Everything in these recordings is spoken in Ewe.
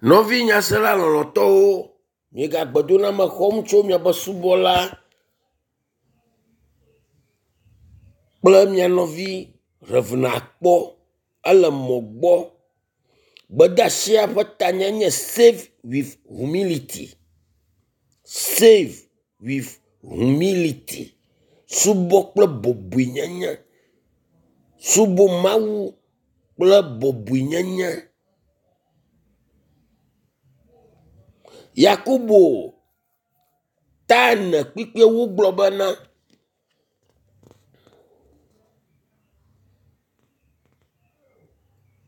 Nɔvi nyasela lɔlɔ̃tɔwo, miegagbe doname xɔm tso miaƒe subɔla kple mia nɔvi Rev. Akpɔ ele mɔ gbɔ. Gbedeasia ƒe tanya nye save with humility. Save with humility. Subɔ kple bɔbɔenyenye. Subɔ Mawu kple bɔbɔenyenye. Yakobo ta ene kpukpuiwo gblɔ bena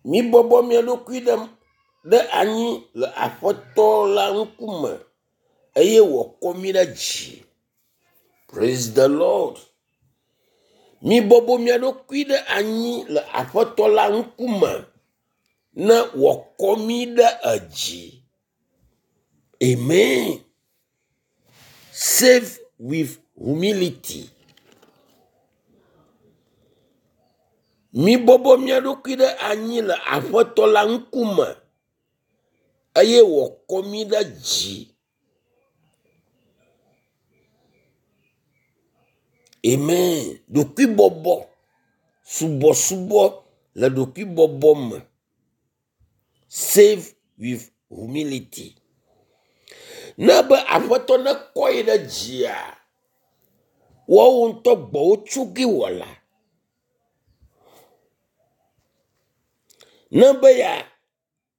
mibɔbɔ mia ɖokui ɖe anyi le aƒetɔ la ŋkume eye wòakɔ mi ɖe dzi. Praise the Lord. Mibɔbɔ mia ɖokui ɖe anyi le aƒetɔ la ŋkume ne wòakɔ mi ɖe edzi. Amen. Save with humility. Mibɔbɔ mia ɖokui ɖe anyi le aƒetɔ la ŋkume eye wòakɔ mi ɖe dzi. Amen. Ɖokuibɔbɔ, subɔsubɔ le ɖokuibɔbɔ me. Save with humility. Ne be aƒetɔ nekɔ yi ɖe dzia, woawo ŋutɔ gbɔwo tso ge wɔla. Ne be ya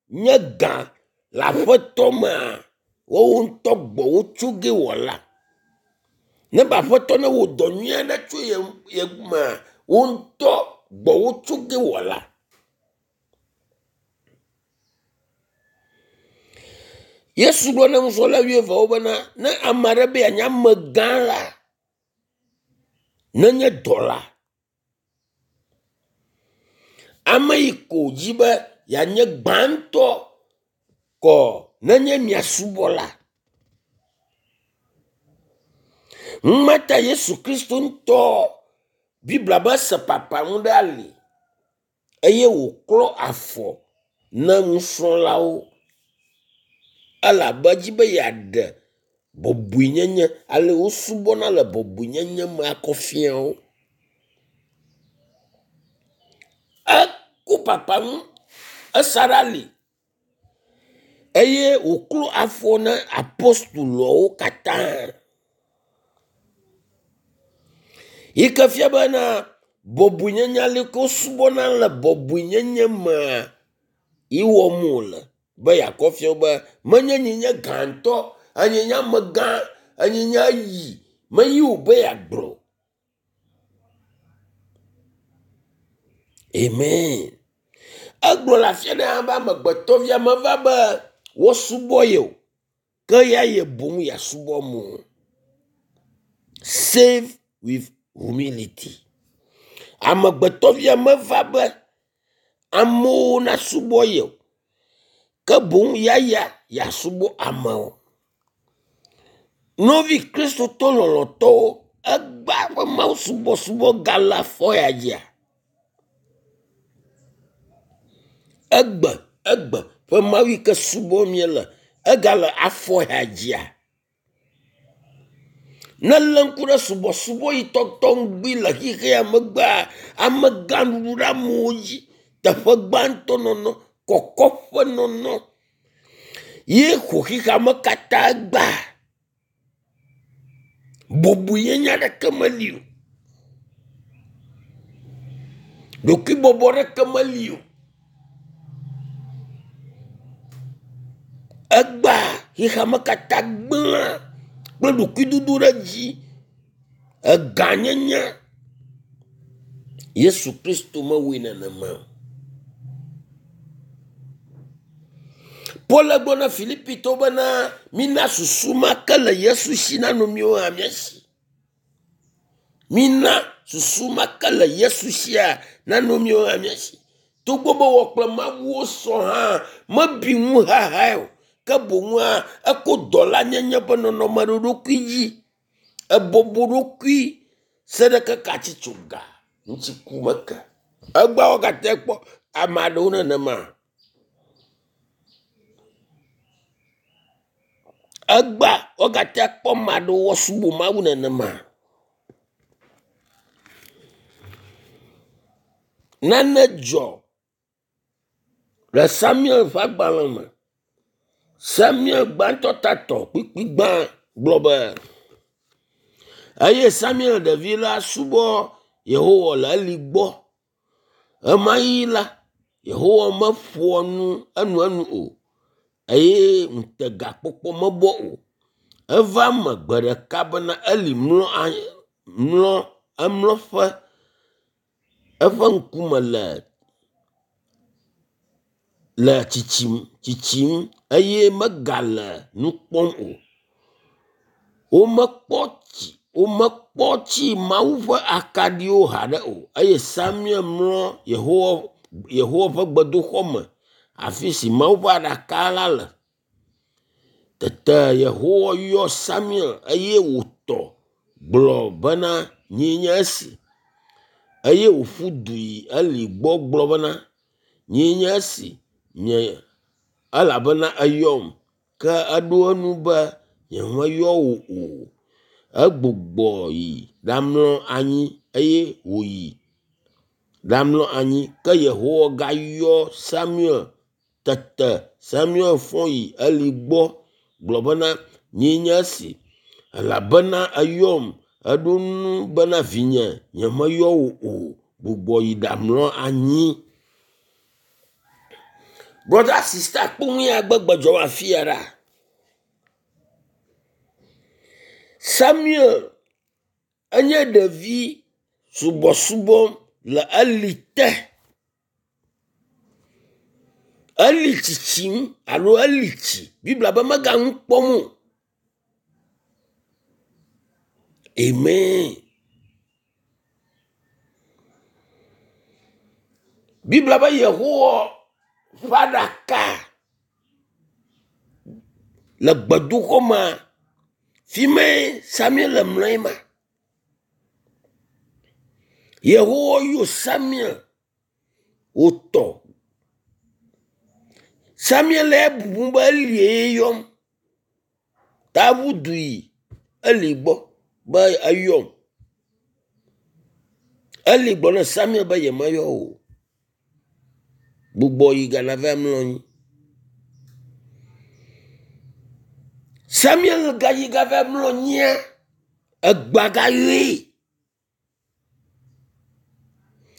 nye gã le aƒetɔ mea, woawo ŋutɔ gbɔwo tso ge wɔla. Ne be aƒetɔ ne wɔ dɔ nyui aɖe tso ye ye mea, wo ŋutɔ gbɔwo tso ge wɔla. Yesu gblɔ na nusrɔ̃la wuieveawo bena ne ame aɖe be yeanye amegã la, nenye dɔla. Ame yi ko dzi be yeanye gbãtɔ kɔ nenye mia subɔla. Numata Yesu Kristo ŋutɔ Biblia be se papaŋu ɖe ali eye wòklɔ afɔ na nusrɔ̃lawo elabe edzi be yeaɖe bɔbɔenyenye ale wosubɔna le bɔbɔenyenye me akɔ fia wo. Eko papaŋu esa ɖe ali eye wòklo afɔ na apostoloawo katã. Yi ke fia bena bɔbɔenyenye ale ke wosubɔna le bɔbɔenyenye mea yi wɔm wòle be yeakɔ fia wo be menye nye nye gãtɔ, enye nye amegã, enye nye eyi, meyi wò be yeagblɔ. Amen. Egblɔ le afi aɖe hã be amegbetɔvia meva be woasubɔ ye o, ke ya ye boŋ yeasubɔ amewo. Save with humility. Amegbetɔvia meva be amewo nasubɔ ye o, ke boŋ yaya yeasubɔ amewo. Nɔvi kristotɔ lɔlɔ̃tɔwo, egbea ƒe Mawu subɔsubɔ gale afɔ ya dzia? Egbe egbe ƒe Mawu yi ke subɔm míele egale afɔ ya dzia? Ne lé ŋku ɖe subɔsubɔ yi tɔtɔ ŋgbi le xexea megbea, amegãɖuɖu ɖe amewo dzi, teƒe gbãtɔ nɔnɔ, kɔkɔƒe nɔnɔ ye xɔ xexea me katã gbea. Bɔbɔenyenye aɖeke meli o. Ɖokuibɔbɔ aɖeke meli o. Egbea xexea me katã gblẽ kple ɖokuidodo ɖe dzi, egãnyenye. Yesu Kristo mewɔe nenema o. Paul gblɔ na Filipitɔwo bena mina susu ma ke le Yesu si nanɔ miwo hã mia si. Mina susu ma ke le Yesu sia nanɔ miwo hã mia si. Togbɔ be wɔ kple Mawuwo sɔ hã mebi ŋu hahae o, ke boŋua eko dɔlanyenye ƒe nɔnɔme ɖe eɖokui dzi. Ebɔbɔ ɖokui se ɖe keke atsitsoga ŋuti ku meke. Egbea wogate kpɔ ame aɖewo nenema. Egba wogate akpɔ ame aɖewo woasubɔ Mawu nenema. Nane dzɔ le Samuel ƒe agbalẽ me. Samuel gbãtɔ tatɔ kpukpui gbã gblɔ be, eye Samuel ɖevi la subɔ Yehowa le Eli gbɔ. Ɣemaɣi la, Yehowa meƒoa nu enuenu o eye ŋutegakpɔkpɔ mebɔ o. Eva eme gbe ɖeka bena Eli mlɔ anyi mlɔ emlɔƒe eƒe ŋkume le le tsitsim tsitsim eye megale nu kpɔm o. Womekpɔ tsi womekpɔ tsi Mawu ƒe akaɖiwo haɖe o eye Samuel mlɔ Yehowa Yehowa ƒe gbedoxɔ me afi si Mawu ƒe aɖaka la le. Tete Yehowa yɔ Samuel eye wòtɔ gblɔ bena, nyee nye esi. Eye wòƒu du yi Eli gbɔ gblɔ bena, nyee nye esi, nye elabena eyɔm. Ke eɖo eŋu be, nyemeyɔ wò o. Egbugbɔ yi ɖamlɔ anyi eye wòyi ɖamlɔ anyi. Ke Yehowa gayɔ Samuel. Tete Samuel fɔ yi Eli gbɔ gblɔ bena, nyee nye esi elabena eyɔm. Eɖo ŋu bena, vinye, nyemeyɔ wò o. Gbugbɔ yi ɖamlɔ anyi. Brɔda sista kpɔ nu ya gbegbe dzɔ afi ya ɖa. Samuel enye ɖevi subɔsubɔ le Eli te. Eli tsitsim alo Eli tsi. Biblia be mega nu kpɔm o. Amen. Biblia be Yehowa ƒe aɖaka le gbedoxɔ mea, fi mae Samuel le mlɔ ma. Yehowa yɔ Samuel wòtɔ. Samuel le bubum be Elie yɔm. Ta eʋu du yi Eli gbɔ be eyɔm. Eli gblɔ na Samuel be yemeyɔ o. Gbugbɔ yi gana va mlɔ anyi. Samuel gayi gava mlɔ anyia, egbea gayɔe.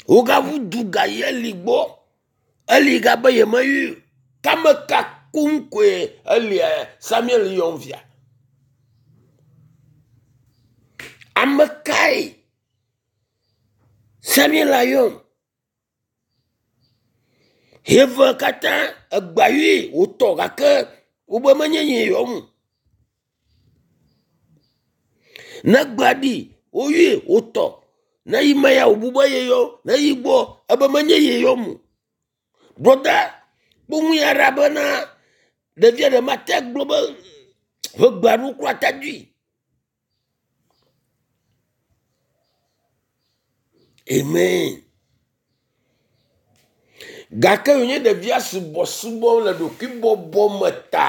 Wogaʋu du gayi Eli gbɔ. Eli gabe yemeyɔe o. Ke ame ka koŋ koe Eli Samuel yɔm fia? Ame kae Samuel ayɔm? Eve katã egbea yɔe wòtɔ gake wobe menye nyee yɔm o. Ne egbea ɖi woyɔe wòtɔ. Ne yi me ya wòbu be ye yɔ, ne yi gbɔ ebe menye ye yɔm o. Brɔda kpɔ nu ya ɖa bena ɖevia ɖe mate gblɔ be ʋegbea ɖo kura ta dui. Amen. Gake wònye ɖevia subɔsubɔ le ɖokuibɔbɔ me ta.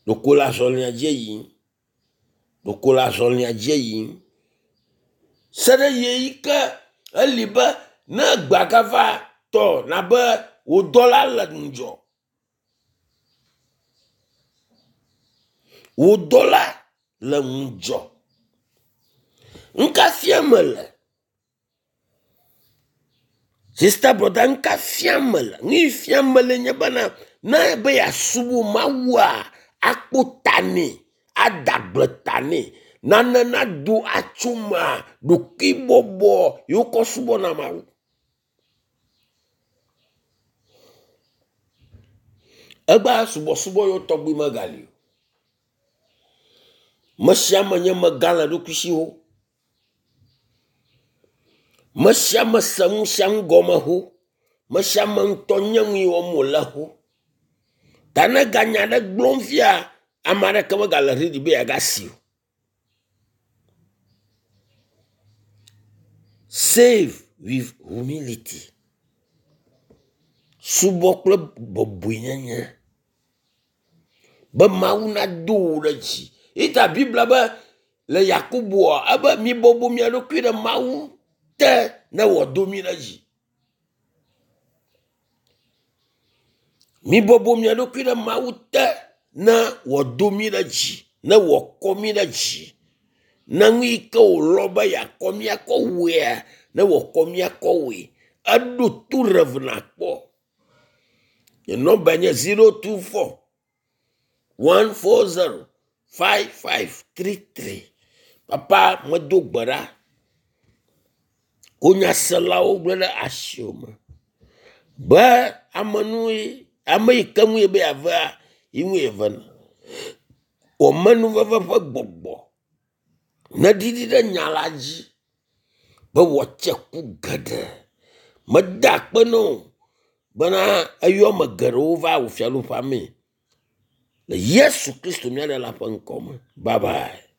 Ɖeko le azɔlia dzi yim. Ɖeko le azɔlia dzi yim. Se ɖe ɣeyiɣi ke eli be ne egbea gava tɔ nabe wò dɔla le ŋudzɔ. Wò dɔla le ŋudzɔ. Nu ka fiam mele? Sista brɔda nu ka fiam mele? Nu yi fiam mele nye bena ne ebe yeasubɔ Mawua, akpɔ ta nɛ, ada gbe ta nɛ, nane nado atso mea, ɖokuibɔbɔ ye wokɔ subɔna Mawu. Egbea subɔsubɔ yewo tɔgbi megali o. Me sia ame nye megã le eɖokui si wo. Me sia ame se nu sia nu gɔme xo. Me sia ame ŋutɔ nye nu yi wɔm wòle xo. Ta ne eganya aɖe gblɔm fia, ame aɖeke megale ready be yeagasi o. Save with humility. Subɔ kple bɔbɔenyenye. Be Mawu nado wò ɖe dzi. Ita Biblia be le Yakoboa ebe mibɔbɔ mia ɖokui ɖe Mawu te ne wòado mi ɖe dzi. Mibɔbɔ mia ɖokui ɖe Mawu te ne wòado mi ɖe dzi, ne wòakɔ mi ɖe dzi. Ne nu yi ke wòlɔ be yeakɔ mi akɔ wɔea, ne wòakɔ mi akɔ wɔe. Eɖo to Rev nakpɔ. Nye nɔmba nye 024 140 5533. Papa medo gbe ɖa. Ko nyaselawo gblẽ ɖe asiwò me be ame nu ame yi ke ŋu ye be yeavea, yi ŋu yevena. Wò menuveve ƒe gbɔgbɔ neɖiɖi ɖe nya la dzi be wòatse ku geɖe. Meda akpe na wò bena eyɔ ame geɖewo va wò fiaɖuƒea mee. Le Yesu Kristo mía Ɖela ƒe ŋkɔ me. Bye bye.